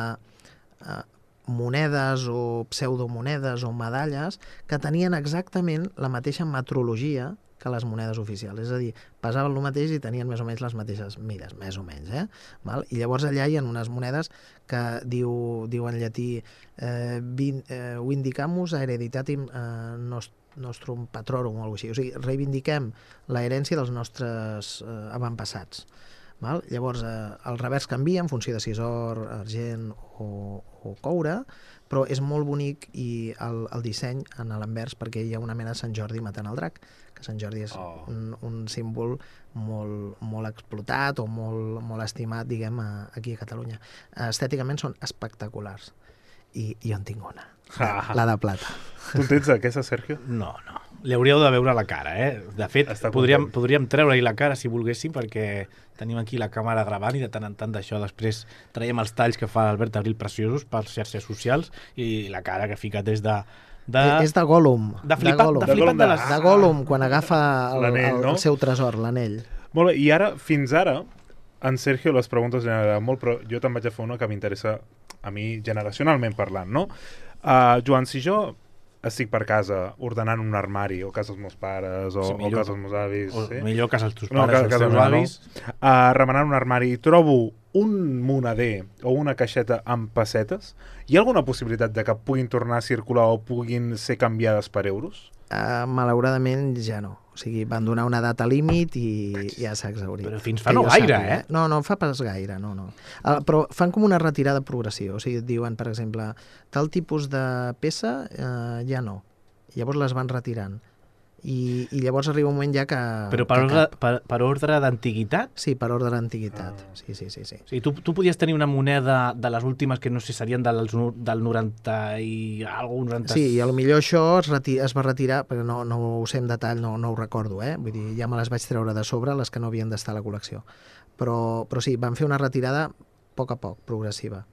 monedes o pseudomonedes o medalles que tenien exactament la mateixa metrologia que les monedes oficials. És a dir, pesaven el mateix i tenien més o menys les mateixes mides, més o menys. Val? I llavors allà hi ha unes monedes que diu en llatí vindicamus hereditatem nostrum patrorum o alguna cosa així. O sigui, reivindiquem la herència dels nostres avantpassats. Val? Llavors, el revers canvia en funció de si és or, argent o coure, però és molt bonic i el disseny en l'envers, perquè hi ha una mena de Sant Jordi matant el drac, que Sant Jordi és un símbol molt explotat o molt estimat, diguem, aquí a Catalunya. Estèticament són espectaculars. I jo en tinc una, la de plata. Tu en tens aquesta, Sergio? No. Li hauríeu de veure la cara, De fet, podríem treure-hi la cara si volguéssim, perquè tenim aquí la càmera gravant i de tant en tant d'això després traiem els talls que fa Albert Abril preciosos per xarxes socials i la cara que fica des de... És de Gollum. De flipat de Gollum, quan agafa el seu tresor, l'anell. Molt bé, i ara, fins ara, en Sergio les preguntes han agradat molt, però jo te'n vaig a fer una que m'interessa a mi generacionalment parlant, no? Joan, si jo estic per casa ordenant un armari, o casa dels meus pares, o casa dels meus avis... O millor casa dels teus pares o els teus avis. Remenant un armari i trobo un moneder o una caixeta amb pessetes, hi ha alguna possibilitat de que puguin tornar a circular o puguin ser canviades per euros? Malauradament ja no. O sigui, van donar una data límit i ja s'ha exhaurit. Però fins fa no gaire, No fa pas gaire, no. Però fan com una retirada progressiva. O sigui, et diuen, per exemple, tal tipus de peça ja no. Llavors les van retirant. I llavors arriba un moment ja que... Però per ordre d'antiguitat? Sí, per ordre d'antiguitat. Sí. O sigui, tu podies tenir una moneda de les últimes que no sé, serien del 90 i alguna cosa... Sí, i potser això es va retirar, però no ho sé en detall, no ho recordo, Vull dir, ja me les vaig treure de sobre, les que no havien d'estar a la col·lecció. Però sí, van fer una retirada a poc, progressiva.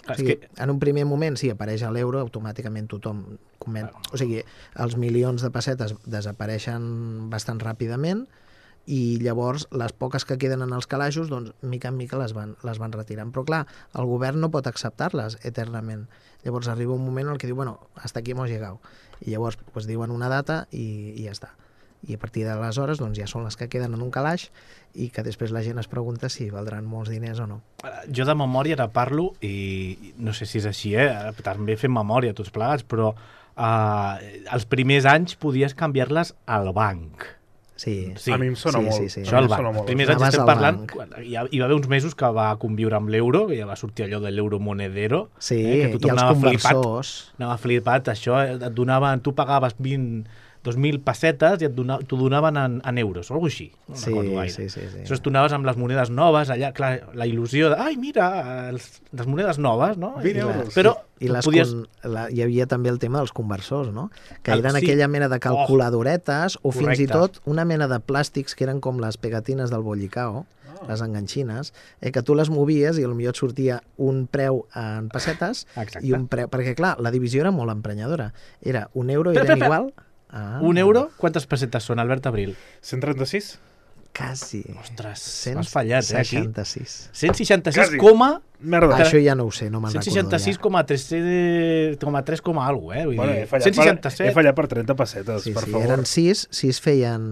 O sigui, en un primer moment, si apareix a l'euro, automàticament tothom comenta. O sigui, els milions de pessetes desapareixen bastant ràpidament i llavors les poques que queden en els calaixos, doncs, mica en mica les van retirant. Però clar, el govern no pot acceptar-les eternament. Llavors arriba un moment en què diu, bueno, hasta aquí hemos llegado. I llavors pues, diuen una data i ja està. I a partir d'aleshores doncs, ja són les que queden en un calaix i que després la gent es pregunta si valdran molts diners o no. Jo de memòria ara parlo i no sé si és així, també fem memòria tots plegats, però els primers anys podies canviar-les al banc. Sí. A mi em sona molt. Sí. Això al banc. Els primers anys estem parlant, hi va haver uns mesos que va conviure amb l'euro, que ja va sortir allò de l'euro monedero. Sí, que i els conversors. Anava flipat, això, tu pagaves 2.000 pessetes i t'ho donaven en euros, o alguna cosa així. No recordo gaire. Sí. Això tu anaves amb les monedes noves, allà, clar, la il·lusió de, ai, mira, les monedes noves, no? 20 euros. Però hi havia també el tema dels conversors, no? Que eren aquella mena de calculadoretes o fins i tot una mena de plàstics que eren com les pegatines del bollicao, les enganxines, que tu les movies i potser et sortia un preu en pessetes i un preu... Perquè, clar, la divisió era molt emprenyadora. Era un euro i eren igual... Un euro? Quantes pessetes són, Albert Abril? 136? Quasi. Ostres, m'has fallat, aquí. 166. 166, merda. Això ja no ho sé, no me'n recordo. 166,3 alguna cosa, He fallat per 30 pessetes, per favor. Eren 6 feien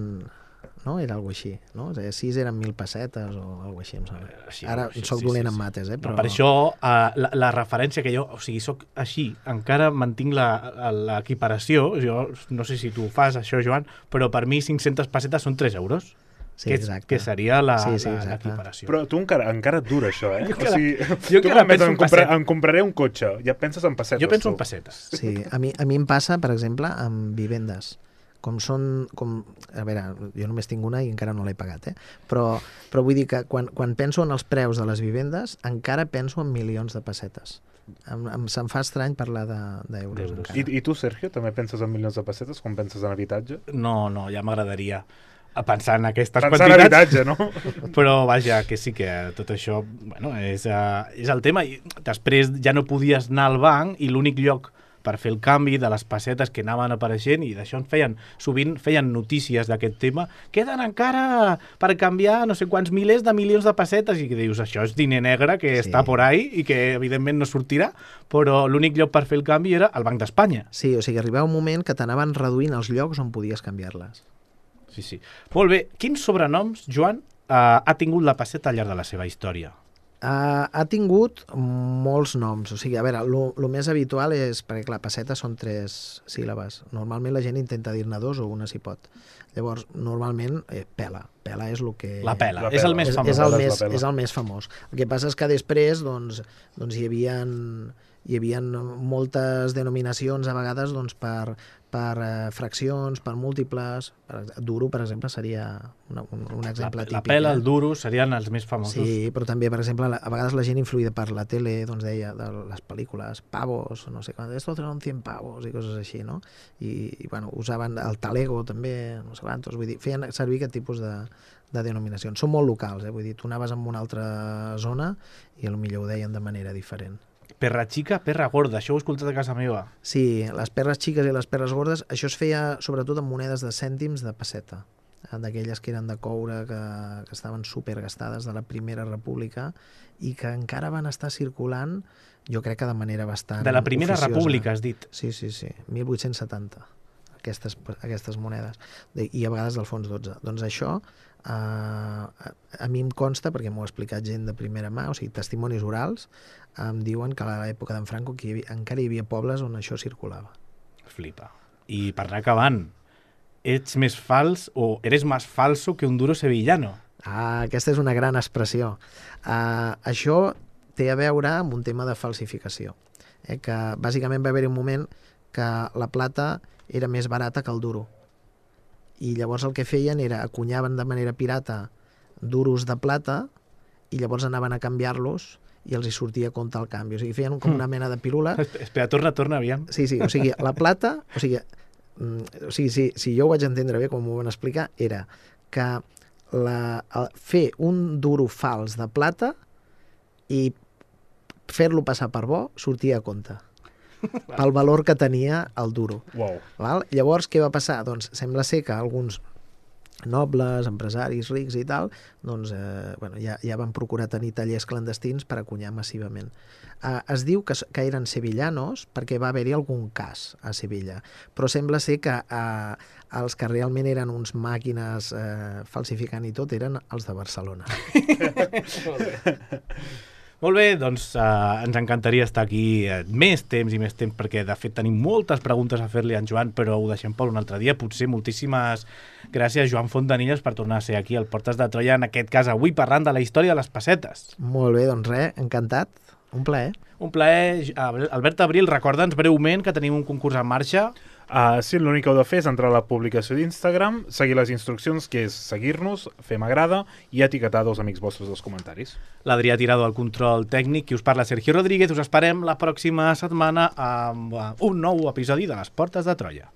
no? Era alguna així, no? 6 eren 1.000 pessetes o alguna així, em sembla. Ara soc dolent en mates, però... Per això, la referència que jo... O sigui, soc així, encara mantinc l'equiparació. Jo no sé si tu fas això, Joan, però per mi 500 pessetes són 3 euros. Sí, que seria l'equiparació. Però tu encara et dura això, eh? Jo encara penso en pessetes. Em compraré un cotxe, ja penses en pessetes. Jo penso en pessetes. Sí, a mi em passa, per exemple, amb vivendes. A veure, jo només tinc una i encara no l'he pagat, però vull dir que quan penso en els preus de les vivendes, encara penso en milions de pessetes. Se'm fa estrany parlar d'euros. I tu, Sergio, també penses en milions de pessetes quan penses en habitatge? No, ja m'agradaria pensar en aquestes quantitats. Pensar en habitatge, no? Però vaja, que sí que tot això és el tema. I després ja no podies anar al banc i l'únic lloc per fer el canvi de les pessetes que anaven apareixent, i d'això sovint feien notícies d'aquest tema, queden encara per canviar no sé quants milers de milions de pessetes, i que dius, això és diner negre que està por ahí i que evidentment no sortirà, però l'únic lloc per fer el canvi era el Banc d'Espanya. Sí, o sigui, arribava un moment que t'anaven reduint els llocs on podies canviar-les. Sí. Molt bé. Quins sobrenoms, Joan, ha tingut la pesseta al llarg de la seva història? Ha tingut molts noms. O sigui, a veure, el més habitual és... Perquè, clar, pesseta són 3 síl·labes. Normalment la gent intenta dir-ne 2 o una si pot. Llavors, normalment, pela. Pela és el que... La pela. És el més famós. És el més famós. El que passa és que després doncs hi havia moltes denominacions a vegades per fraccions, per múltiples. Duro, per exemple, seria un exemple típic. La pela, el duro, serien els més famosos. Sí, però també, per exemple, a vegades la gent influïda per la tele, doncs deia, de les pel·lícules, pavos, no sé quant, esto son 100 pavos i coses així, no? I bueno, usaven el talego també, no sé quantos, vull dir, feien servir aquest tipus de denominacions. Són molt locals, vull dir, tu anaves en una altra zona i potser ho deien de manera diferent. Perra xica, perra gorda, això ho he escoltat a casa meva. Sí, les perres xiques i les perres gordes, això es feia sobretot amb monedes de cèntims de pesseta, d'aquelles que eren de coure, que estaven supergastades de la Primera República i que encara van estar circulant, jo crec que de manera bastant de la Primera oficiosa. República, has dit? Sí, 1870, aquestes monedes, i a vegades del fons 12. Doncs això a mi em consta, perquè m'ho ha explicat gent de primera mà, o sigui, testimonis orals, em diuen que a l'època d'en Franco encara hi havia pobles on això circulava. Flipa. I per anar acabant, ets més fals o eres más falso que un duro sevillano? Aquesta és una gran expressió. Això té a veure amb un tema de falsificació, que bàsicament va haver-hi un moment que la plata era més barata que el duro. I llavors el que feien era acunyaven de manera pirata duros de plata i llavors anaven a canviar-los i els hi sortia a compte el canvi. O sigui, feien com una mena de pirula. Espera, torna, aviam. Sí, o sigui, la plata... si jo ho vaig entendre bé, com m'ho van explicar, era que fer un duro fals de plata i fer-lo passar per bo sortia a compte pel valor que tenia el duro. Wow. Val? Llavors, què va passar? Doncs sembla ser que alguns nobles, empresaris rics i tal, doncs ja van procurar tenir tallers clandestins per acunyar massivament. Es diu que eren sevillanos perquè va haver-hi algun cas a Sevilla, però sembla ser que els que realment eren uns màquines falsificant i tot eren els de Barcelona. Molt bé, doncs ens encantaria estar aquí més temps, perquè de fet tenim moltes preguntes a fer-li a en Joan, però ho deixem per un altre dia. Potser moltíssimes gràcies, Joan Fontanilles, per tornar a ser aquí al Portes de Troia, en aquest cas avui parlant de la història de les pessetes. Molt bé, doncs res, encantat. Un plaer. Un plaer. Albert Abril, recorda'ns breument que tenim un concurs en marxa. Sí, l'únic que heu de fer és entrar a la publicació d'Instagram, seguir les instruccions, que és seguir-nos, fer m'agrada i etiquetar 2 amics vostres dels comentaris. L'Adrià Tirado al control tècnic, qui us parla Sergio Rodríguez. Us esperem la pròxima setmana amb un nou episodi de Les Portes de Troia.